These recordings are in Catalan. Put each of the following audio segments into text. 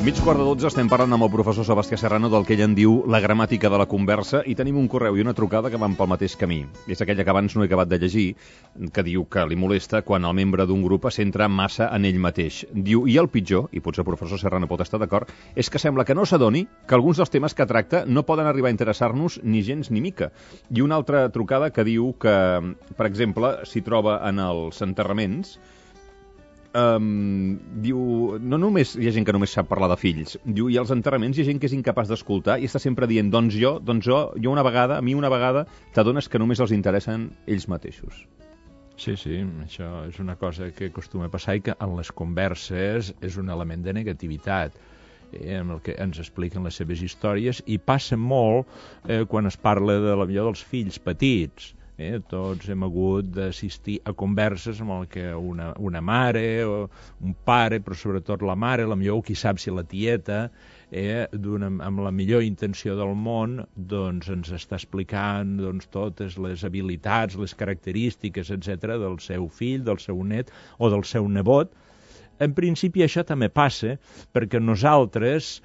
11:45 estem parlant amb el professor Sebastià Serrano del que ell en diu la gramàtica de la conversa i tenim un correu i una trucada que van pel mateix camí. És aquella que abans no he acabat de llegir, que diu que li molesta quan el membre d'un grup es centra massa en ell mateix. Diu, i el pitjor, i potser el professor Serrano pot estar d'acord, és que sembla que no s'adoni que alguns dels temes que tracta no poden arribar a interessar-nos ni gens ni mica. I una altra trucada que diu que, per exemple, s'hi troba en els enterraments. Diu, no només hi ha gent que només sap parlar de fills, diu, i als enterraments hi ha gent que és incapaç d'escoltar i està sempre dient, doncs jo una vegada, a mi una vegada, t'adones que només els interessen ells mateixos. Sí, això és una cosa que acostuma a passar i que en les converses és un element de negativitat, amb el que ens expliquen les seves històries, i passa molt quan es parla dels fills petits. Tots hem hagut d'assistir a converses amb el que una mare o un pare, però sobretot la mare, potser qui sap si la tieta, amb la millor intenció del món, doncs ens està explicant totes les habilitats, les característiques, etc., del seu fill, del seu net o del seu nebot. En principi això també passa perquè nosaltres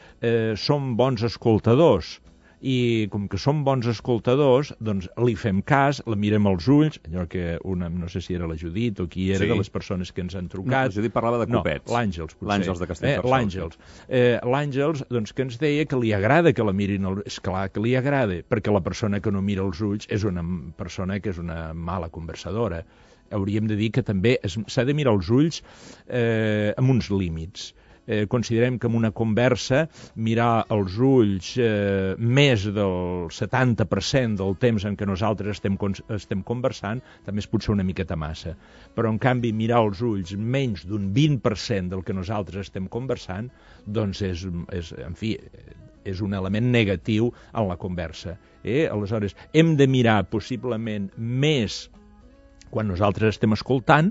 som bons escoltadors, i com que som bons escoltadors, doncs li fem cas, la mirem als ulls, allò que no sé si era la Judit o qui era, sí, de les persones que ens han trucat. No, la Judit parlava de copets. No, l'Àngels, potser. L'Àngels de Castellterçol. L'Àngels, doncs, que ens deia que li agrada que la mirin als ulls. És clar que li agrada, perquè la persona que no mira els ulls és una persona que és una mala conversadora. Hauríem de dir que també s'ha de mirar els ulls amb uns límits. Considerem que en una conversa mirar els ulls més del 70% del temps en què nosaltres estem conversant també és potser una miqueta massa. Però, en canvi, mirar els ulls menys d'un 20% del que nosaltres estem conversant, doncs és un element negatiu en la conversa. Aleshores, hem de mirar possiblement més quan nosaltres estem escoltant,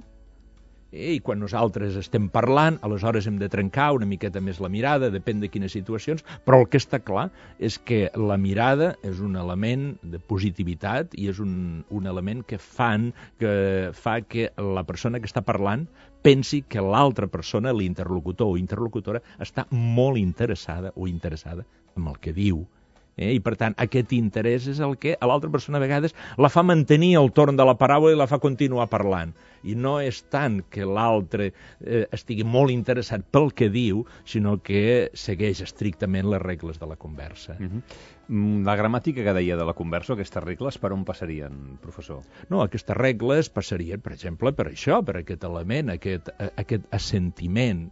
i quan nosaltres estem parlant, aleshores hem de trencar una miqueta més la mirada, depèn de quines situacions, però el que està clar és que la mirada és un element de positivitat i és un element que fa que la persona que està parlant pensi que l'altra persona, l'interlocutor o interlocutora, està molt interessada o interessada en el que diu. I, per tant, aquest interès és el que a l'altra persona a vegades la fa mantenir el torn de la paraula i la fa continuar parlant. I no és tant que l'altre estigui molt interessat pel que diu, sinó que segueix estrictament les regles de la conversa. La gramàtica que deia de la conversa, aquestes regles, per on passarien, professor? No, aquestes regles passarien, per exemple, per això, per aquest element, aquest assentiment.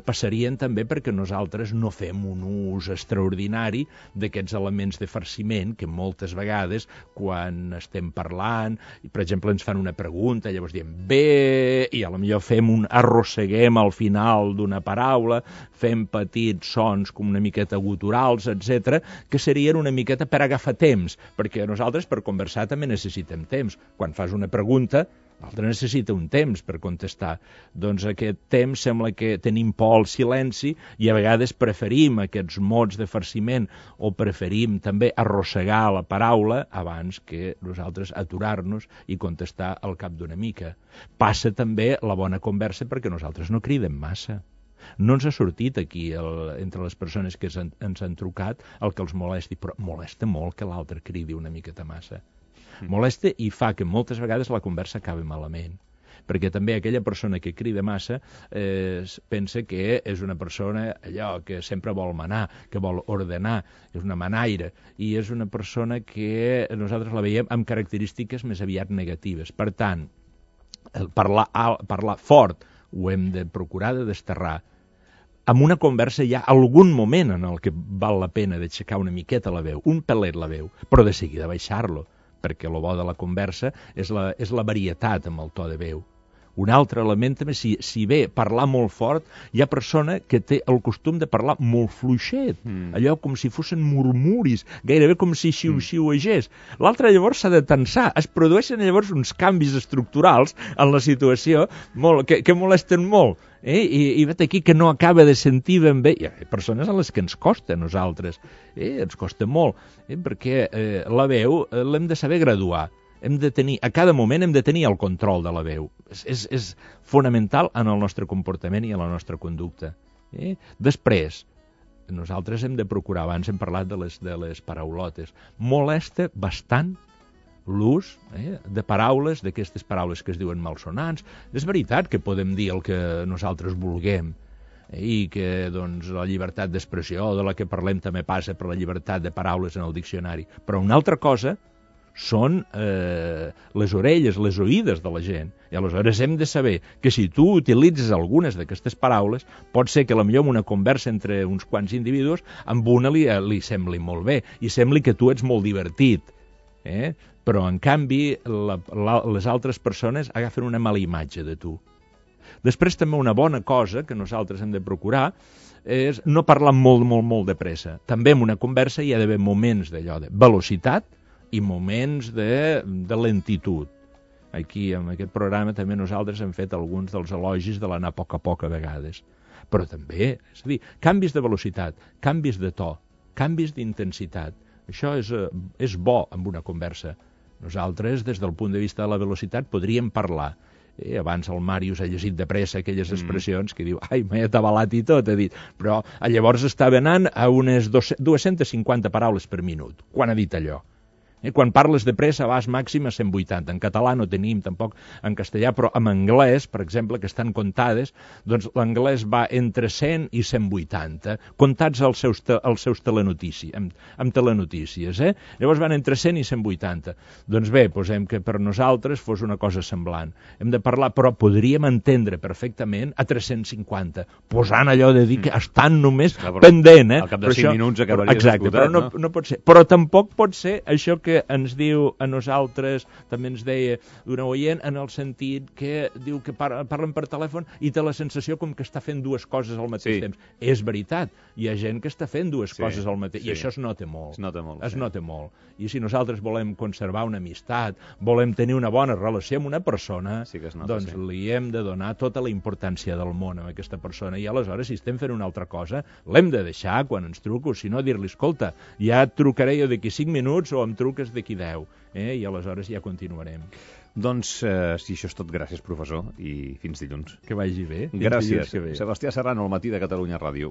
Passarien també perquè nosaltres no fem un ús extraordinari d'aquests elements de farciment que moltes vegades quan estem parlant, per exemple ens fan una pregunta, llavors diem bé, i potser arrosseguem al final d'una paraula, fem petits sons com una miqueta guturals, etc., que serien una miqueta per agafar temps, perquè nosaltres per conversar també necessitem temps. Quan fas una pregunta, l'altre necessita un temps per contestar. Doncs aquest temps sembla que tenim por al silenci i a vegades preferim aquests mots de farciment o preferim també arrossegar la paraula abans que nosaltres aturar-nos i contestar al cap d'una mica. Passa també la bona conversa perquè nosaltres no cridem massa. No ens ha sortit aquí, entre les persones que ens han trucat, el que els molesti, però molesta molt que l'altre cridi una miqueta massa. Molesta i fa que moltes vegades la conversa acabi malament, perquè també aquella persona que crida massa pensa que és una persona que sempre vol manar, que vol ordenar, és una manaire, i és una persona que nosaltres la veiem amb característiques més aviat negatives. Per tant, parlar fort ho hem de procurar de desterrar. En una conversa hi ha algun moment en el que val la pena d'aixecar una miqueta la veu, un pelet la veu, però de seguida baixar-lo, perquè el bo de la conversa és la varietat amb el to de veu. Un altre element també, si ve parlar molt fort, hi ha persona que té el costum de parlar molt fluixet, allò com si fossin murmuris, gairebé com si xiu-xiuegés. L'altre llavors s'ha de tensar, es produeixen llavors uns canvis estructurals en la situació que molesten molt. I vet aquí que no acaba de sentir ben bé. Hi ha persones a les que ens costa a nosaltres, ens costa molt, perquè la veu l'hem de saber graduar. A cada moment hem de tenir el control de la veu. És fonamental en el nostre comportament i en la nostra conducta. Després, nosaltres hem de procurar, abans hem parlat de les paraulotes, molesta bastant l'ús de paraules, d'aquestes paraules que es diuen malsonants. És veritat que podem dir el que nosaltres vulguem, i que doncs, la llibertat d'expressió de la que parlem també passa per la llibertat de paraules en el diccionari. Però una altra cosa són les orelles, les oïdes de la gent. I aleshores hem de saber que si tu utilitzes algunes d'aquestes paraules, pot ser que potser en una conversa entre uns quants individus, amb una li sembli molt bé i sembli que tu ets molt divertit. Però, en canvi, les altres persones agafen una mala imatge de tu. Després, també una bona cosa que nosaltres hem de procurar és no parlar molt de pressa. També en una conversa hi ha d'haver moments d'allò de velocitat i moments de lentitud. Aquí, en aquest programa, també nosaltres hem fet alguns dels elogis de l'anar a poc a vegades. Però també, és a dir, canvis de velocitat, canvis de to, canvis d'intensitat. Això és bo en una conversa. Nosaltres, des del punt de vista de la velocitat, podríem parlar. Abans el Màrius ha llegit de pressa aquelles expressions que diu, ai, m'he atabalat i tot, ha dit. Però llavors estava anant a unes 250 paraules per minut, quan ha dit allò. Quan parles de pressa vas màxim a 180. En català no tenim tampoc en castellà, però en anglès, per exemple, que estan comptades, doncs l'anglès va entre 100 i 180, comptats els seus telenotícies, amb telenotícies. Llavors van entre 100 i 180. Doncs bé, posem que per nosaltres fos una cosa semblant. Hem de parlar, però podríem entendre perfectament a 350, posant allò de dir que estan només pendent. Al cap de 5 minuts acabaries esgotat. Exacte, però no pot ser. Però tampoc pot ser això que ens diu a nosaltres, també ens deia d'una oient, en el sentit que diu que parlen per telèfon i té la sensació com que està fent dues coses al mateix temps. És veritat, hi ha gent que està fent dues coses al mateix, i això es nota molt. Es nota molt. I si nosaltres volem conservar una amistat, volem tenir una bona relació amb una persona, doncs li hem de donar tota la importància del món a aquesta persona, i aleshores, si estem fent una altra cosa, l'hem de deixar quan ens truco, si no dir-li, escolta, ja et trucaré jo d'aquí 5 minuts o em truques d'aquí 10, i aleshores ja continuarem. Doncs, si això és tot, gràcies, professor, i fins dilluns. Que vagi bé. Gràcies. Sebastià Serrano, al Matí de Catalunya Ràdio.